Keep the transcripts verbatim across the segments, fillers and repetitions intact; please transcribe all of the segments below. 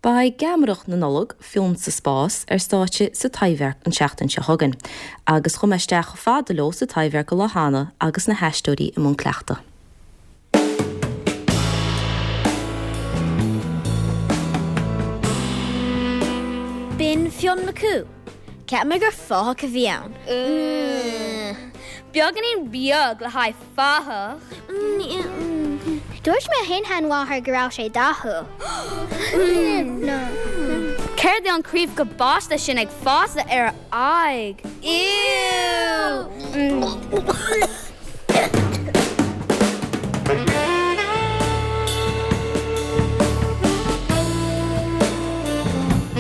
Beidh Geamaireacht na Nollag, Fionn sa Spás, ar stáitse sa Taibhdhearc an tseachtain seo chugainn, agus chuaigh mé isteach chomh fada leo sa Taibhdhearc an lá cheana agus na haisteoirí i mbun cleachtaidh. B'in Fionn Mac Cumhaill. Cheap mé gur fathach a bhí ann. Beagáinín beag le haghaidh fathach. Dúirt mo shin-sheanmháthair go raibh sé dathúil. Céard é an craobh cabáiste sin ag fás ar a aghaidh? Ew!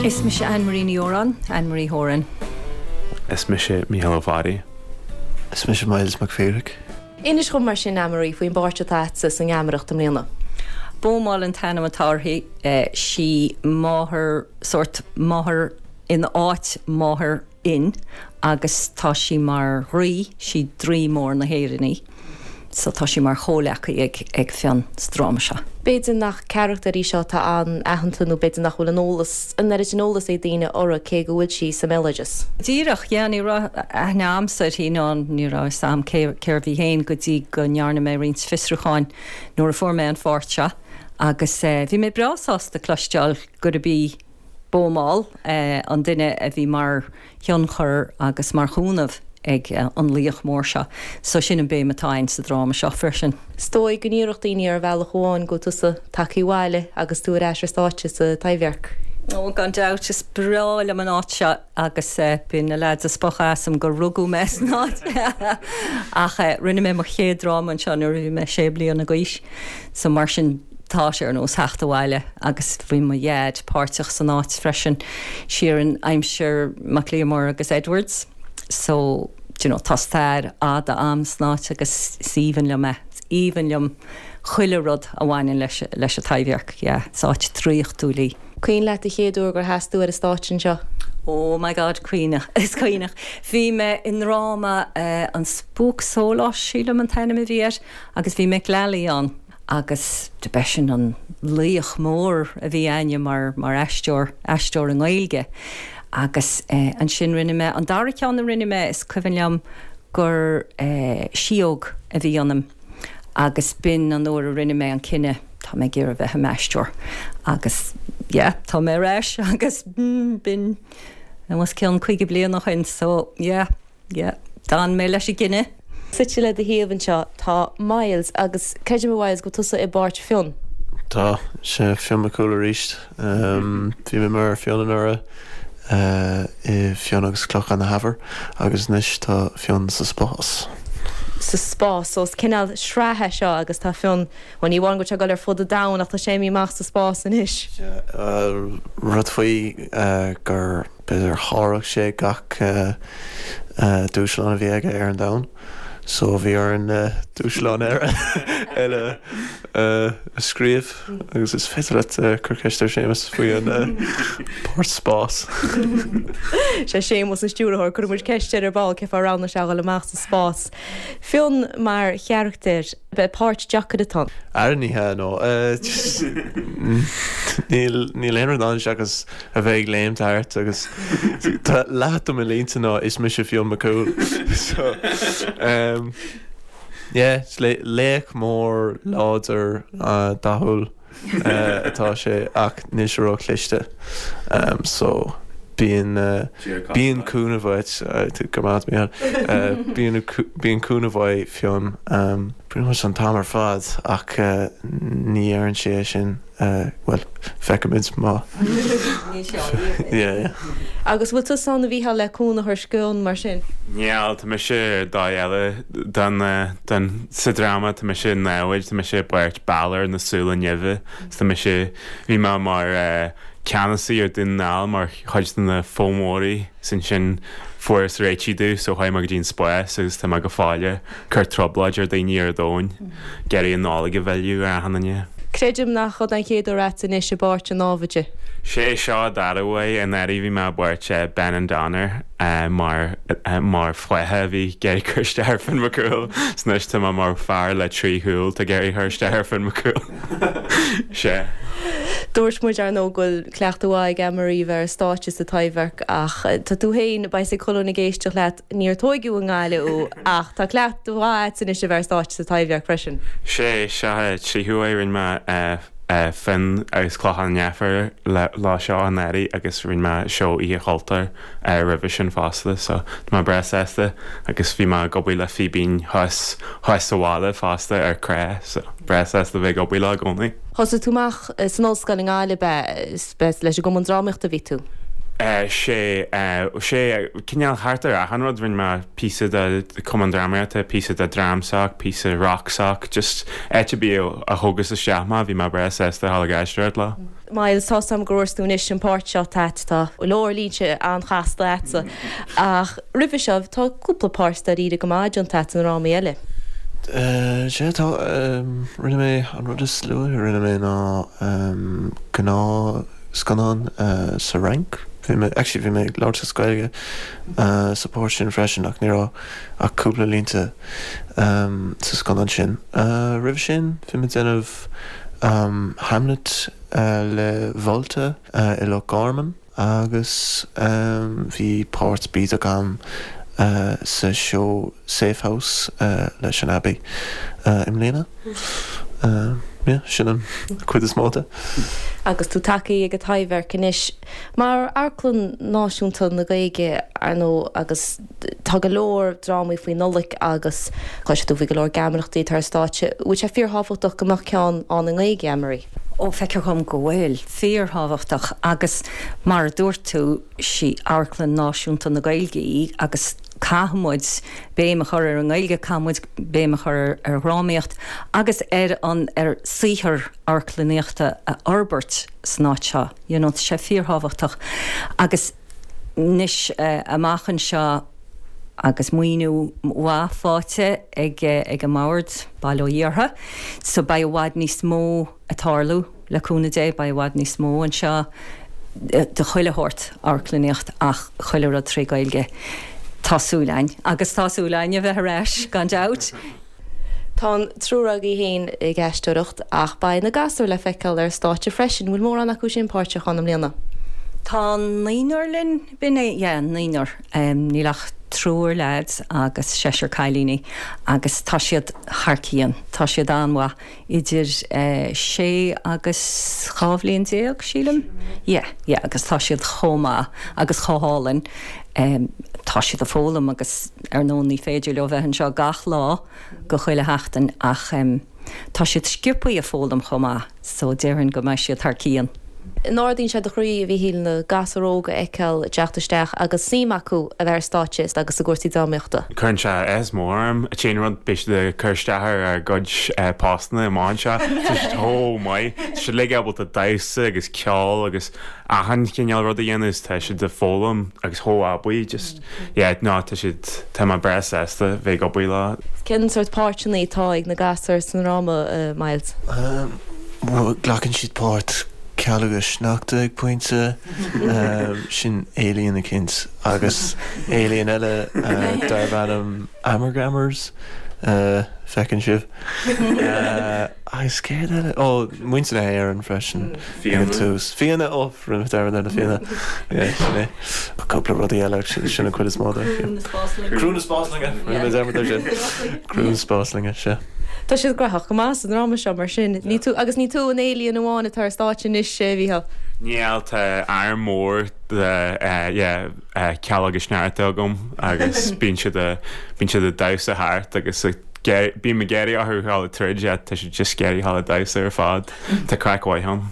Is mise Anne Marie Ní Óráin, Anne Marie Horan. Is mise Mícheál Ó Fearraigh. Is mise Myles Mac Phadraig. Inis dhom mar sin, Anne-Marie, faoin bpáirt atá agatsa sa ngeamaireacht i mbliana. Bómál an t-ainm atá uirthi. Sí máthair, sórt máthair in áit máthair Fhinn agus tá sí mar dhraoi, sí draoi mór na hÉireann í. So tá sí mar chomhleacaí ag ag Fionn sa dráma seo. B'fhéidir nach carachtar í seo atá an-aitheanta nó b'fhéidir nach bhfuil an eolas, an oiread sin eolas ag daoine uirthi cé go bhfuil sí sa mbéaloideas. Díreach, yeah, ní raibh aithne a'msa uirthi ná ní raibh fhios a'm cé cérbh í féin go dtí go ndearna mé roinnt fiosrúcháin nuair a fuair mé an pháirt seo agus bhí mé breá sásta cloisteáil gurb í Bómál an duine a bhí mar thionchar agus mar chúnamh ag an laoch mór seo. So sin an béim atá againn sa dráma seo freisin. Is dóigh go ndéarfadh daoine ar bhealach amháin go bhfuil tusa tagtha abhaile agus tú ar ais ar stáitse sa Taibhdhearc. Ó, gan dabht, is breá liom an áit seo agus bíonn na leaids ag spochadh asam gur rugadh mé san áit. Ach rinne mé mo chéad dráma anseo nuair a bhí mé sé bliana d'aois so mar sin tá sé ar nós theacht abhaile agus bhí mo dhaid páirteach san áit freisin siar in aimsir Mac Liammóir agus Edwards so do you know tá stair fhada a'm san áit agus is aoibhinn liom é, is aoibhinn liom chuile rud a bhaineann leis leis an Taibhdhearc, yeah, is áit draíochtúil í. Cuimhin leat an chéad uair gur sheas tú ar an stáitse anseo? Oh my God, cuimhneach, is cuimhneach. Bhí mé i ndráma An Spuaic Sóláis sílim an t-ainm a bhí air agus bhí Mick Lally ann. agus do b'eisean an laoch mór a bhí a'inne mar mar aisteoir, aisteoir i nGaeilge. Agus ansin rinne mé, an dara ceann a rinne mé, is cuimhin liom gur síóg a bhí ionam agus b'in an uair a rinne mé an cinneadh, tá mé ag iarraidh bheith i m'aisteoir. Agus yeah, tá mé ar ais agus b'in os cionn caoga bliain ó shin so yeah. Yeah, d'fhan mé leis an gcinneadh. Suite le do thaobh anseo tá Myles agus creidim a Mhyles go bhfuil tusa i bpáirt Fionn. Tá, sea, Fionn Mac Cumhaill arís. Bhí mé mar Fionn anuraidh i Fionn agus Clochán na hEamhair agus anois tá Fionn sa spás. Sa spás, so is cineál sraith é seo agus tá Fionn, bhuel ní amháin go bhfuil sé ag dul ar fud an domhain ach tá sé imithe amach sa spás anois. Sea, rud faoi gur. B'fhéidir sháraigh sé gach dúshlán a bhí aige ar an domhan so bhí orainn dúshlán eile a scríobh agus is féidir leat cur ceist ar Séamus faoi an páirt spás. Sé Séamus an stiúrthóir, cuirfidh muid ceist air ar ball cén fáth ar roghnaigh sé a dhul amach sa spás. Fionn mar charachtar, ab é páirt deacair atá ann? Ara ní hea, no. Níl níl aon rud ann seachas a bheith ag léimt thart agus tá leath de mo línte ná is mise Fionn Mac Cumhaill. So um, yeah, is laoch mór láidir dathúil atá sé ach níl sé ró-chliste. Um, so bíonn bíonn cúnamh uait, go maith Mícheál, bíonn bíonn cúnamh uaidh Fionn um, pretty much an t-am ar fad ach ní deireann sé é sin. Bhuel, feicfimid má. Yeah, yeah. Agus bhfuil tusa ann a Mhícheáil le cúnamh a thabhairt d'Fhionn mar sin? Níl, tá mise ar dóigh eile den, den, sa dráma, tá mise i namhaid, tá mise i bpáirt Balor na Súile Nimhe, 's tá mise, bhí mé mar ceannasaí ar Dún na nGall mar chuid de na Fomóirí, 's ansin fuarthas réitigh domh so chuaigh mé go dtí an spás agus tá mé go fóill ag cur trioblóid ar daoine ar an domhain, ag iarraidh an Nollaig a mhilleadh ar achan duine. Creidim nach iod an chéad uair a'tsa anois i bpáirt an námhaide. Sé seo an dara huair, anuraidh bhí mé i bpáirt Benandonner mar mar flatha a bhí ag iarraidh cur isteach ar Finn Mac Cumhaill 's anois tá mé mar fear le trí shúil atá ag iarraidh cur isteach ar Finn Mac Cumhaill. Sea. Dúirt muid ar ndóigh go bhfuil cleachtadh mhaith ag Anne-Marie bheith ar stáitse sa Taibhdhearc ach tá tú féin beidh chuile dhuine ag éisteacht leat níor tógadh i nGaillimh thú ach tá cleachtadh mhaith agat anois a bheith ar stáitse sa Taibhdhearc freisin. Sé seo tríú huair rinne mé Finn agus Clochán Neifir lá seo anuraidh agus rinne mé seó Oíche Chultúir roimhe sin fosta so tá mé breá sásta agus bhí mé ag obair le Fíbín thuas thuas sa bhaile fosta ar Cré so breá sásta bheith ag obair leo i gcónaí. Thosaigh tú amach san ollscoil i nGaillimh be leis an gCumann Drámaíochta bhí tú. sé sé cineál thart ar achan rud rinne mé píosa de Cumann Drámaíochta, píosa de Dramsoc, píosa Rocksoc, just áit ar bith a thugas isteach mé bhí mé breá sásta dhul ag aisteoireacht leo. Myles tá sam gur tú anois an páirt seo tá tá leor línte an-chasta agatsa ach roimhe seo tá cúpla páirt dáiríre go maith déanta agat i ndrámaí eile. Sé tá rinne mé an rud is luaithe rinne mé ná gnáth scannán sa Fhrainc. Bhí mé actually bhí mé ag labhairt as Gaeilge sa pháirt sin freisin ach ní raibh ach cúpla línte sa scannán sin. Roimhe sin bhí mé déanamh Hamlet le Volta i Loch Garman agus bhí páirt bídeach agam sa seó Safe House leis an Abbey i mbliana. Yeah, sin an cuid is mó de. Agus tú tagtha ag an Taibhdhearc anois mar Amharclann Náisiúnta na Gaeilge ar ndóigh agus tá go leor drámaí faoi Nollaig agus cloisfidh tú faoi go leor geamaireachtaí tar stáitse, bhfuil sé fíorthábhachtach go mbeadh ceann ann i nGaeilge Anne-Marie. Ó feictear dom go bhfuil fíorthábhachtach agus mar a dúirt tú sí Amharclann Náisiúnta na Gaeilge í agus caithfimid béim a chur ar an nGaeilge caithfimid béim a chur ar dhrámaíocht agus ar an ar saothar amharclannaíochta a fhorbairt san áit seo. You know, sé fíorthábhachtach agus anois uh, amach anseo agus maoiniú mhaith faighte ag ag an mbord Baile Ó Dhiartha, so beidh i bhfad níos mó ag tarlú le cúnamh Dé beidh i bhfad níos mó anseo de chuile shórt amharclannaíocht ach chuile rud trí Gaeilge. Tá súil againn agus tá súil againn a bheith ar ais gan dabht. Tá an triúr agaibh féin ag aisteoireacht ach beidh na gasúir le feiceáil ar stáitse freisin, bhfuil mórán acu sin páirteach ann i mbliana. Tá naonúr linn b'in é yeah, naonúr um, níl ach triúr lads agus seisear cailíní agus tá siad thar cionn Tá siad an-mhaith idir uh, sé agus dhá bhliain déag sílim? Yeah, yeah, agus tá siad chomh maith agus chomh hálainn. Um, tá siad ag foghlaim agus ar ndóigh ní féidir leo bheith anseo gach lá go chuile sheachtain ach um, tá siad sciobtha ag foghlaim chomh maith, so déarfainn go mbeidh siad thar cionn. An ardaíonn sé do chroí a Mhíchíl na gasúir óga a fheiceáil ag teacht isteach agus suim acu a bheith ar stáitse agus i gcúrsaí drámaíochta. Cuireann sé áthas mór orm a tséan rud beidh siad ag cur isteach ar ár gcuid postanna amach anseo Tá siad chomh maith Tá siad uilig ábalta damhsa agus ceol agus achan chineál rud a dhéanamh tá siad ag foghlaim agus chomh abaí just yeah no tá siad tá mé breá sásta bheith ag obair leo. Cén sórt páirteanna atá ag na gasúir sa ndráma uh, Myles? Um, well, glacann siad páirt Cealg agus Sneachta ag pointe um, sin alien eicínt agus alien eile uh, darb ainm Amargamers uh, feiceann sibh. Uh, agus céard eile ó muintir na hÉireann freisin Fianna. tús. Fianna ó rinne dar na Fianna sin é. Cúpla rudaí eile sin sin an chuid is mó de. Criú na spásloinge rinne dar sin. Criú na spásloinge sé. Tá siad graitheach go maith sa dráma seo mar sin ní tú agus ní tú an alien amháin atá ar stáitse anois a Mhíchíl. Níl tá arm mór de uh, yeah, uh, Cealg agus Sneachta agam agus bíonn siad a- bíonn siad ag damhsa thart agus ag bím ag iarraidh orthu dhul tríd tá siad just ag iarraidh dhul ag damhsa ar fad Tá craic mhaith ann.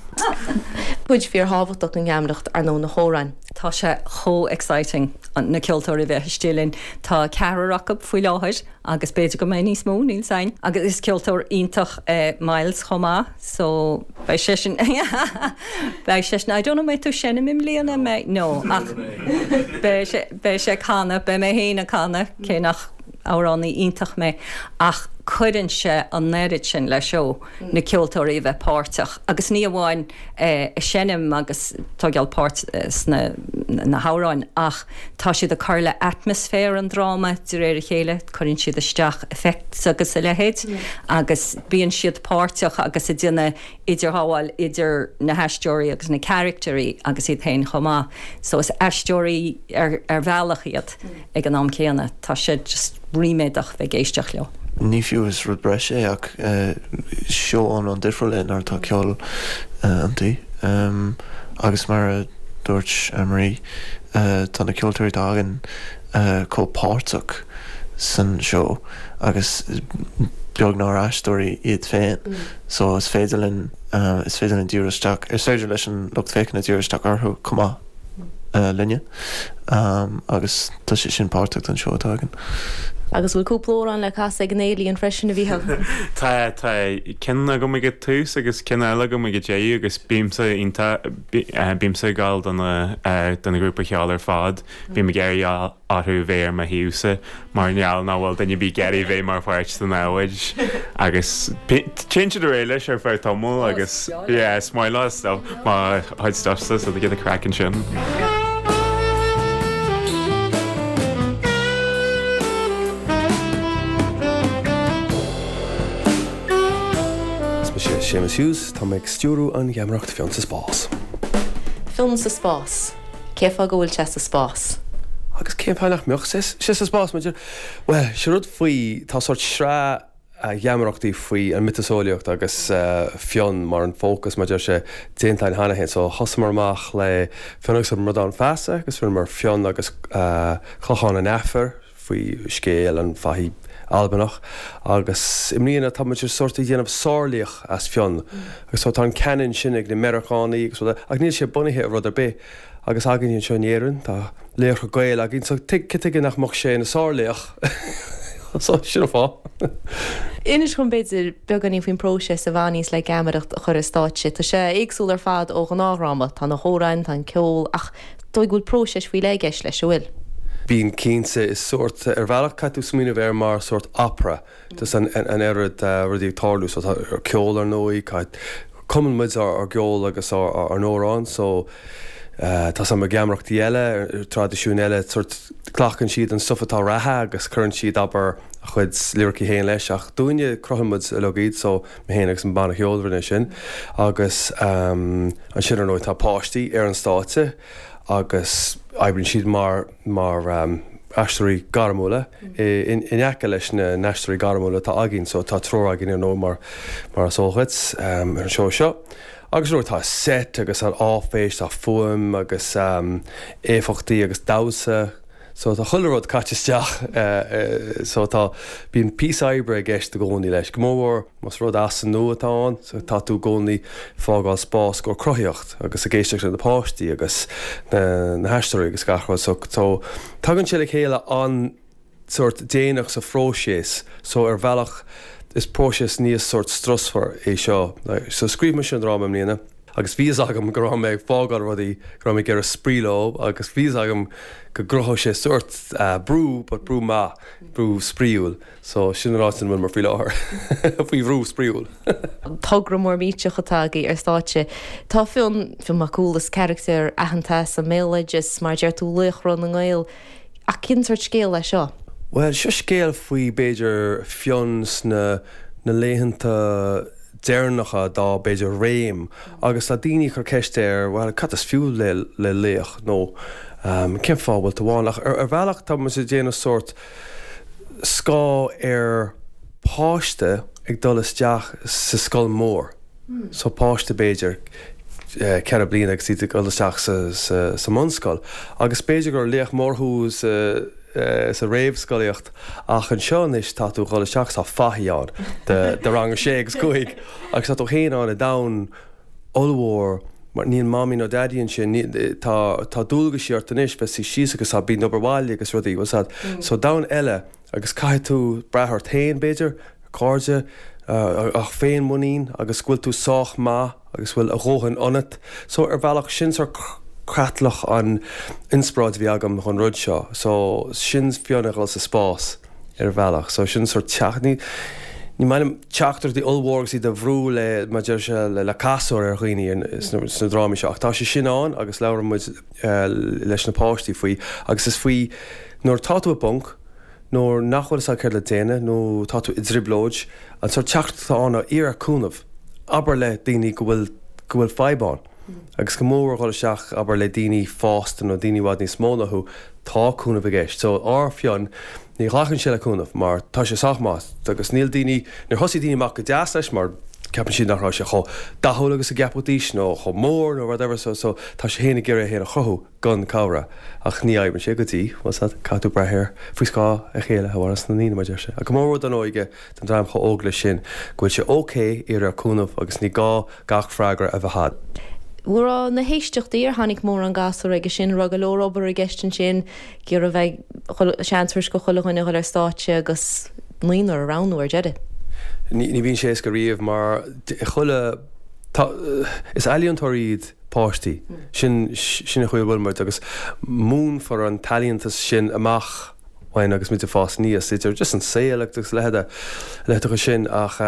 Cuid fíorthábhachtach den gheamaireacht ar ndóigh na hamhráin. Tá sé chomh exciting an na ceoltóirí bheith istigh linn Tá ceathrar acu faoi láthair agus b'fhéidir go mbeidh níos mó níl sein agus is ceoltóir iontach eh, Myles chomh maith so beidh sé sin beidh sé sin I don't know mbeidh tú seinm i mbliana mé no ach beidh sé beidh sé ag canadh beidh mé féin ag canadh cé nach amhránaí iontach mé ach cuireann sé an oiread sin le seó na ceoltóirí a bheith páirteach agus ní amháin eh, seinm agus tógáil páirt eh, sna na hamhráin ach tá siad ag cur le atmaisféar an dráma de réir a chéile, cuireann siad isteach effects agus a leithéid agus bíonn siad páirteach agus ag déanamh idirghabháil idir na haisteoirí agus na caractéirí agus iad féin chomh maith. So is aisteoirí ar, ar bhealach iad ag an am céanna, tá sé just ríméadach bheith ag éisteacht leo. Ní fiú is rud breise é ach seó iomlán difriúil é nuair atá ceol iontu. Agus mar a dúirt Marie, tá na ceoltóirí atá againn chomh páirteach san seó agus beag nár aisteoirí iad féin. So is féidir linn is féidir linn díriú isteach, is féidir leis an lucht féachana díriú isteach orthu chomh maith linne agus tá sé sin páirteach den seó atá againn. Agus bhfuil cúpla amhrán le casadh ag an Alien freisin a Mhícheál? Tá tá ceann agam ag an tús agus ceann eile agam ag an deireadh agus bímse iontach bímse ag gabháil do na do na grúpa cheoil ar fad. Bím ag iarraidh orthu bheith ar mo thaobhsa mar gheall nach bhfuil duine ar bith ag iarraidh bheith mar pháirt den namhaid agus téann siad ar aghaidh leis ar feadh tamaill agus yeah is maith leo stuff mo chuid stuff-sa so they get the craic ansin. Is mise Séamus Hughes, tá mé ag stiúrú an gheamaireacht Fionn sa Spás. Fionn sa Spás. Cén fáth go bhfuil sé sa spás? Agus cén fáth nach mbeadh sé sa spás? Maidir, bhuel, sé rud faoi, tá sórt sraith gheamaireachtaí faoi an miotaseolaíocht agus Fionn mar an fócas mar deir sé déanta againn cheana féin. So thosaíomar amach le Fionn agus an Bradán Feasa agus rinneamar Fionn agus Clochán an Aifir faoi scéal an fathaigh Albanach agus i mbliana tá muid sórt ag déanamh sárlaoch as Fionn agus so tá an canon sin ag na Meiriceánaigh agus rud ach níl sé bunaithe ar rud ar bith agus againn anseo in Éirinn tá laochra Gael againn so cad chuige nach mbeadh sé ina sárlaoch so sin an fáth. Inis dom b'fhéidir beagáinín faoin bpróiseas a bhaineanns le geamaireacht a chur ar stáitse. Tá sé éagsúil ar fad ó ghnáthdhráma, tá na hamhráin, tá an ceol ach dóigh go bhfuil próiseas faoi leith i gceist leis, an bhfuil? Bíonn cinnte is sórt, ar bhealach caithfidh tú smaoineamh air mar sórt opera, just an an oiread rudaí ag tarlú so tá ceol ar ndóigh, caithfidh, cumann muid ár ár gceol agus ár ár n-amhráin so tá sam geamaireachtaí eile, traidisiúin eile, sórt glacann siad an stuff atá reatha agus cuireann siad abair a chuid liricí féin leis ach dúinne cruthaíonn muid uilig iad so mé féin agus an banna ceoil a rinne sin agus ansin ar ndóigh tá páistí ar an stáitse agus oibríonn siad mar mar aisteoirí gairmiúla in aice leis na n-aisteoirí gairmiúla atá againn so tá triúr againn ar ndóigh mar mar is eol dhuit ar an seó seo. Agus ar ndóigh tá set agus an áiféis, tá fuaim agus éifeachtaí agus damhsa so tá chuile rud caite isteach so tá bíonn píosa oibre i gceist i gcónaí leis, go mórmhór más rud as an nua atá ann so tá tú i gcónaí fágáil spás go cruthaíocht agus ag éisteacht le na páistí agus na na haisteoirí agus gach rud so so tagann sé le chéile an sórt déanach sa phróiseas so ar bhealach is próiseas níos sórt strusmhar é seo. So scríobh mise an dráma i mbliana agus bhí fhios agam go raibh mé ag fágáil rudaí, go raibh mé ag iarraidh spraoi leo agus bhí fhios agam go gcruthódh sé sórt brú but brú maith, brú spraíúil. So sin an áit ina bhfuil mé faoi láthair, faoi bhrú spraíúil. Togra mór millteach atá agaibh ar stáitse. Tá Fionn, Fionn Mac Cumhaill, is carachtar aitheanta sa mbéaloideas, mar a deir tú, laochra na nGael. Ach cén sórt scéal é seo? Bhuel, seo scéal faoi, b'fhéidir, Fionn sna na laethanta deireanacha dá, b'fhéidir, réim agus tá daoine ag cur ceist air, bhuel, cad is fiú le le laoch nó cén fáth a bhfuil tú ann? Ach ar ar bhealach tá muid ag déanamh sórt scáth ar páiste ag dul isteach sa scoil mhór. So páiste b'fhéidir ceithre bliana agus iad ag dul isteach sa sa sa mbunscoil agus b'fhéidir gur laoch mór thú sa sa réamhscolaíocht ach anseo anois tá tú ag dul isteach tá fathaigh ann de de rang a sé agus cúig agus tá tú féin ann i domhan ollmhór mar níl mamaí nó daidí ansin ní tá tá dualgaisí ort anois bheith suí síos agus tá bíonn obair bhaile agus rudaí bhfuil a fhios agat so domhan eile agus caithfidh tú brath ort féin b'fhéidir cairde ach féinmhuinín agus go bhfuil tú sách maith agus bhfuil a dhóthain ionat. So ar bhealach sin sort creatlach an inspioráid a bhí agam chun rud seo. So sin Fionn ag dul sa spás ar bhealach. So sin sort teach ní Ní maith liom teachtaireachtaí ollmhór agus iad a bhrú le, mar deir sé, le casúr ar dhaoine sna drámaí seo. Ach tá sé sin ann agus labhrann muid leis na páistí faoi agus is faoi nuair atá tú i bponc, nuair nach bhfuil fhios agat céard le déanamh nó tá tú i dtrioblóid, an sórt teachtaireacht atá ann ná iarr ar cúnamh, abair le daoine go bhfuil go bhfuil fadhb ann. Agus go mór dhul isteach, abair, le daoine fásta nó daoine i bhfad níos mó ná thú, tá cúnamh i gceist. So, ár Fionn, ní ghlacann sé le cúnamh mar tá sé sách maith agus níl daoine, níor thosaigh daoine amach go deas leis mar ceapann siad nach raibh sé chomh dathúil agus a gceapfaidís nó chomh mór nó whatever so so tá sé féin ag iarraidh é féin a chruthú gan cabhair ach ní oibríonn sé go dtí, bhfuil 's a'd, caithfidh tú brath ar faoi scáth a chéile a mhaireanns na ndaoine mar deir sé. Ach go mór mhór don óige, don dream chomh óg leis sin go bhfuil sé ok iarraidh ar cúnamh agus ní gá gach freagra a bheith a'd. An raibh na héisteachtaí, ar tháinig mórán gasúr aige sin, an raibh go leor obair i gceist ansin, ag iarraidh bheith seans go chuile dhuine a dhul ar stáitse agus naonúr a roghnú ar deireadh? Ní bhíonn sé éasca riamh mar chuile, tá, is ealaíontóirí iad páistí, sin, sin an chaoi a bhfuil muid agus múinfear an t-ealaíontas sin amach uainn agus muid ag fás aníos, idir just an saol agus a leithéid, a leithéideacha sin ach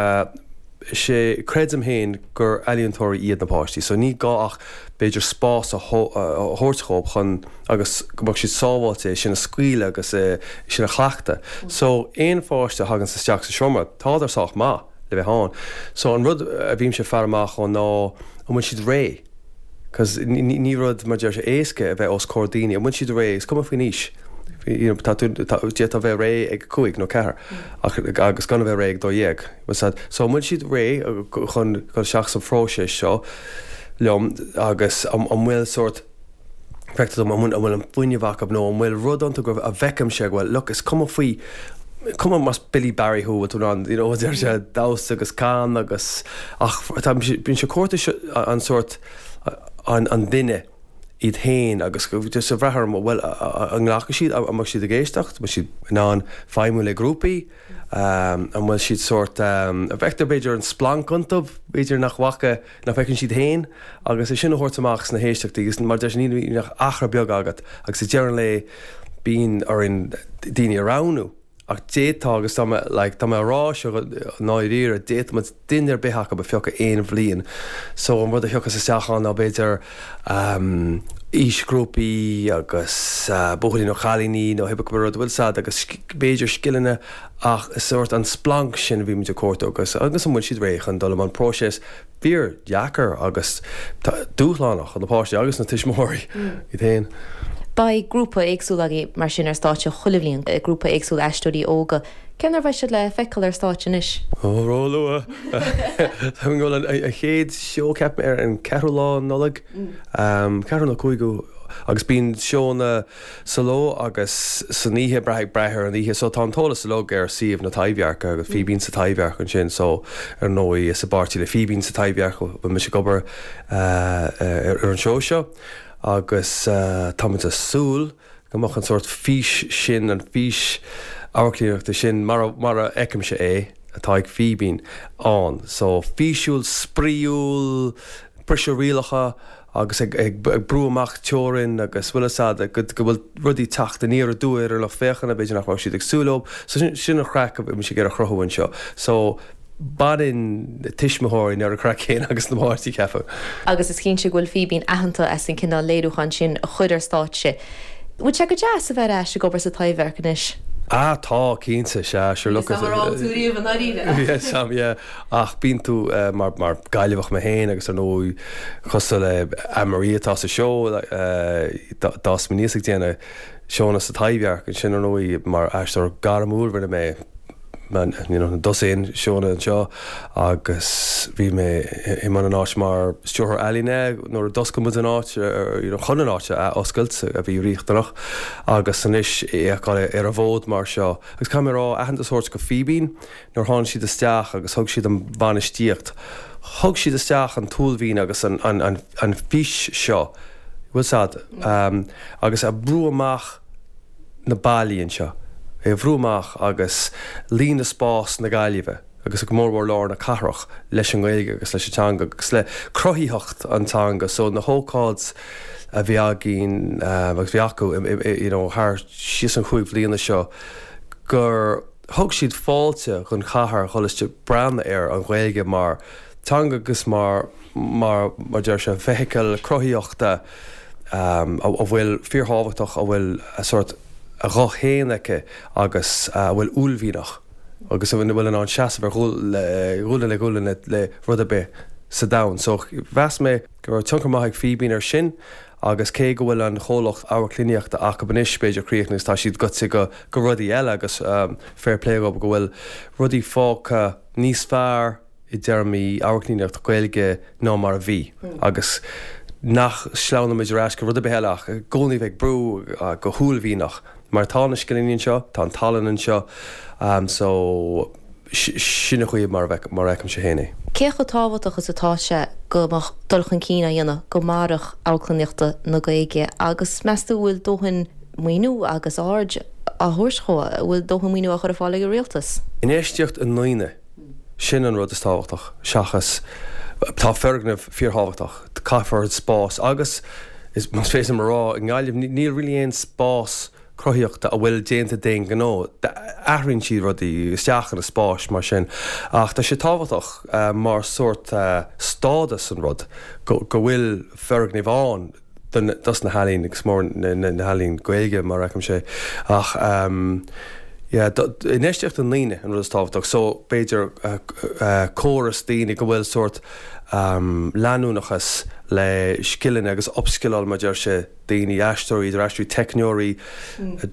sé, creidim féin gur ealaíontóirí iad na páistí so ní gá ach b'fhéidir spás a thabhairt dhóibh chun agus go mbeadh siad sábháilte é sin a scaoileadh agus é sin a chleachtadh. So aon pháiste a thaganns isteach sa seomra, tádar sách maith le bheith ann. So an rud a bhímse ag faire amach dhó ná an bhfuil siad réidh? Cos ní rud, mar deir sé, éasca a bheith os comhair daoine. An bhfuil siad réidh? Is cuma faoin aois. You know, tá tú, tá, d'fhéadfá a bheith réidh ag a cúig nó ceathair ach, agus gan a bheith réidh ag dó dhéag. Bhfuil 's a'd? So an bhfuil siad réidh chun dul isteach sa phróiseas seo liom agus an, an bhfuil sórt, feictear dom, an bhfuil, an bhfuil an fuinneamh acu nó an bhfuil rud iontu go, a bhfeicimse go bhfuil, look, is cuma faoi, cuma más Billy Barry thú, bhfuil tú in ann, you know, deir sé, damhsa agus can agus, ach tá, bíonn sé cuartú an sórt, an, an duine iad féin agus just ag brath orm, bhuel, an nglacfaidh siad, an mbeidh siad ag éisteacht, an mbeidh siad in ann feidhmiú le grúpaí, an bhfuil siad sórt, an bhfeictear b'fhéidir an splanc iontu, b'fhéidir nach bhfaca, nach bhfeiceann siad féin agus é sin a thabhairt amach sna héisteachtaí agus mar deir sé ní bhíonn ach achar beag agat agus ag deireadh an lae bíonn orainn daoine a roghnú. Ach d'fhéadfá, agus tá mé, like, tá mé á rá seo i ndáiríre, d'fhéadfadh muid duine ar bith acu a phiocadh aon bhliain. So an rud a thiocfas isteach ann ná b'fhéidir ehm aoisghrúpaí agus buachaillí nó cailíní nó pé rud, bhfuil 's a'd, agus b'fhéidir scileanna ach is sórt an splanc sin a bhí muid ag cuartú agus agus an bhfuil siad réidh chun dul i mbun próiseas fíor-dheacair agus dúshlánach do na páistí agus na tuismitheoirí iad féin. Beidh grúpa éagsúil agaibh mar sin ar stáitse chuile bhliain, grúpa éagsúil aisteoirí óga. Cén uair a bheidh siad le feiceáil ar stáitse anois? Ó, róluath! Tá mé ag dul an chéad seó, ceapaim, ar an ceathrú lá Nollaig, ceathrú nó cúigiú, agus bíonn seónna sa ló agus san oíche, brath ag brath ar an oíche. So tá an t-eolas uilig ar suíomh na Taibhdheirce agus Fíbín sa Taibhdhearc ansin. So ar ndóigh is i bpáirtí le Fíbín sa Taibhdhearc a bhfuil mise ag obair ar an seó seo agus tá muid ag súil go mbeadh an sórt fís sin, an fís amharclannaíochta sin mar a, mar a fheicimse é, atá ag Fíbín ann. So físiúil, spraíúil, briseadh rialacha agus ag ag brú amach teorainn agus bhfuil fhios a'd go go bhfuil rudaí teacht aniar aduaidh ar an lucht féachana, b'fhéidir nach raibh siad ag súil leo. So sin sin an chraic a bhí mise ag iarraidh a chruthú anseo. So baineann na tuismitheoirí an oiread craic céanna agus na páistí, ceapaim. Agus is cinnte go bhfuil Fíbín aitheanta as an cineál léiriúchán sin a chur ar stáitse. Bhfuil sé go deas a bheith ar ais ag obair sa Taibhdhearc anois? Ah tá, cinnte, sea, sure look. Níl 's a'm ar fhág tú riamh i ndáiríre. Yeah, Sam, yeah. Ach bíonn tú, mar, mar Gaillimheach mé féin agus ar ndóigh cosúil le Anne-Marie atá sa seó, d'fhás mé aníos ag déanamh seónna sa Taibhdhearc, ansin ar ndóigh mar aisteoir gairmiúil rinne mé you know, na dosaen seónna anseo agus bhí mé i mbun an áit mar stiúrthóir ealaíne nuair a d'oscail muid an áit, you know, chun an áit a oscailt a bhí riachtanach agus anois é a fheiceáil ar an bhfód mar seo. Agus caithfidh mé a rá, aitheantas a thabhairt go Fíbín nuair a tháinig siad isteach agus thug siad an bhainistíocht, thug siad isteach an t-uaillmhian agus an, an, an, an fís seo, bhfuil 's a'd, agus a brú amach na ballaí anseo, é a bhrú amach agus líonadh spás na Gaillimhe agus go mórmhór lár na cathrach leis an nGaeilge agus leis an teanga agus le cruthaitheacht an teanga so na hócáid a bhí againn agus bhí acu you know thar síos an chúig bhliana seo gur Thug siad fáilte don chathair dhul isteach breathnú ar an Ghaeilge mar teanga agus mar mar mar deir sé feithicil cruthaíochta a bhfuil fíorthábhachtach, a bhfuil a sórt a ghuth féin aici agus a bhfuil uaillmhianach agus a bhfuil in ann seasamh ar ghualainn le gualainn le rud ar bith sa domhan. So mheas mé go raibh tionchar maith ag Fíbín air sin agus cé go bhfuil an chomhlacht amharclannaíochta acu anois b'fhéidir críochnaithe agus tá siad gaibhte go go rudaí eile agus fair play dhóibh go bhfuil rudaí fágtha níos fearr i dtéarmaí amharclannaíocht Gaeilge ná mar a bhí agus nach sleamhnaímid ar ais go rud ar bith eile ach i gcónaí bheith ag brú go huaillmhianach mar tá na scileanna anseo, tá an tallann anseo so sin an chaoi mar a fheicimse féin é. Cé chomh tábhachtach is atá sé go mbeadh dul chun cinn á dhéanamh go mairfeadh amharclannaíochta na Gaeilge agus meas tú an bhfuil dóthain maoiniú agus aird á thabhairt dhó, an bhfuil dóthain maoiniú á chur ar fáil ag an rialtas? Infheistíocht i ndaoine, sin an rud is tábhachtach seachas, tá foirgneamh fíorthábhachtach, caithfear spás agus is, más féidir liom a rá, i nGaillimh níl really aon spás cruthaíochta a bhfuil déanta d'aon ghnó. Athraíonn siad rudaí isteach ina spáis mar sin ach tá sé tábhachtach mar sórt stádas an rud go bhfuil foirgneamh ann dos na healaín agus mór na healaín Gaeilge mar a fheicimse ach yeah infheistíocht i ndaoine an rud is tábhachtach so b'fhéidir córas daoine go bhfuil sórt leanúnachas le scileanna agus upskilláil mar deir sé daoine, aisteoirí, idir aisteoirí, teicneoirí,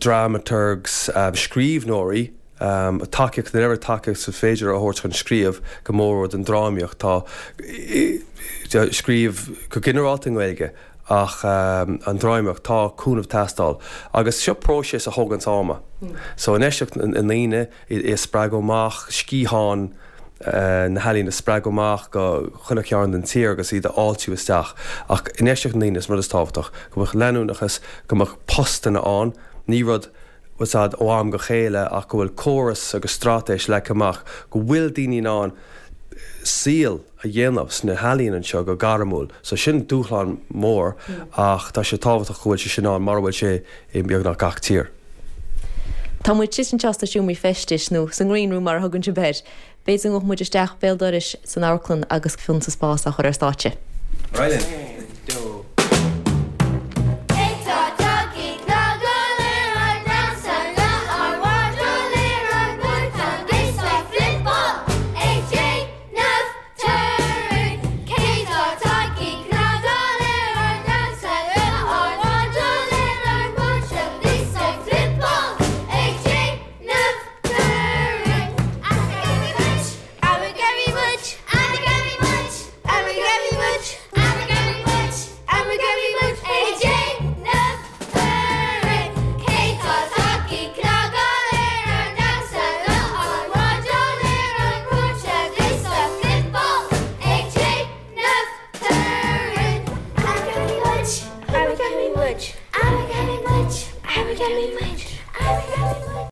dramaturgs, scríbhneoirí, tacaíocht, an oiread tacaíocht is féidir a thabhairt chun scríobh, go mór don drámaíocht. Tá scríobh go ginearálta i nGaeilge ach an drámaíocht, tá cúnamh ag teastáil. Agus seo próiseas a thóganns ama. So infheistíocht i ndaoine, é a spreagadh amach, sciatháin na healaíne a spreagadh amach go chuile chearn den tír agus iad a fháiltiú isteach. Ach infheistíocht i ndaoine is rud is tábhachtach, go mbeadh leanúnachas, go mbeadh postanna ann, ní rud bhfuil a fhios a'd ó am go chéile ach go bhfuil córas agus straitéis leagtha amach, go bhfuil daoine in ann saol a dhéanamh sna healaíona anseo go gairmiúil. So sin dúshlán mór ach tá sé tábhachtach go bhfuil sé sin ann mar a bhfuil sé i mbeagnach gach tír. Tá muid síos anseo sna seomraí feistis, nó sa ngreen room mar a thugann sibh air. B'fhéidir go ngabhfaidh muid isteach béal dorais san amharclann agus Fionn sa Spás á chur ar stáitse. Ar aghaidh linn.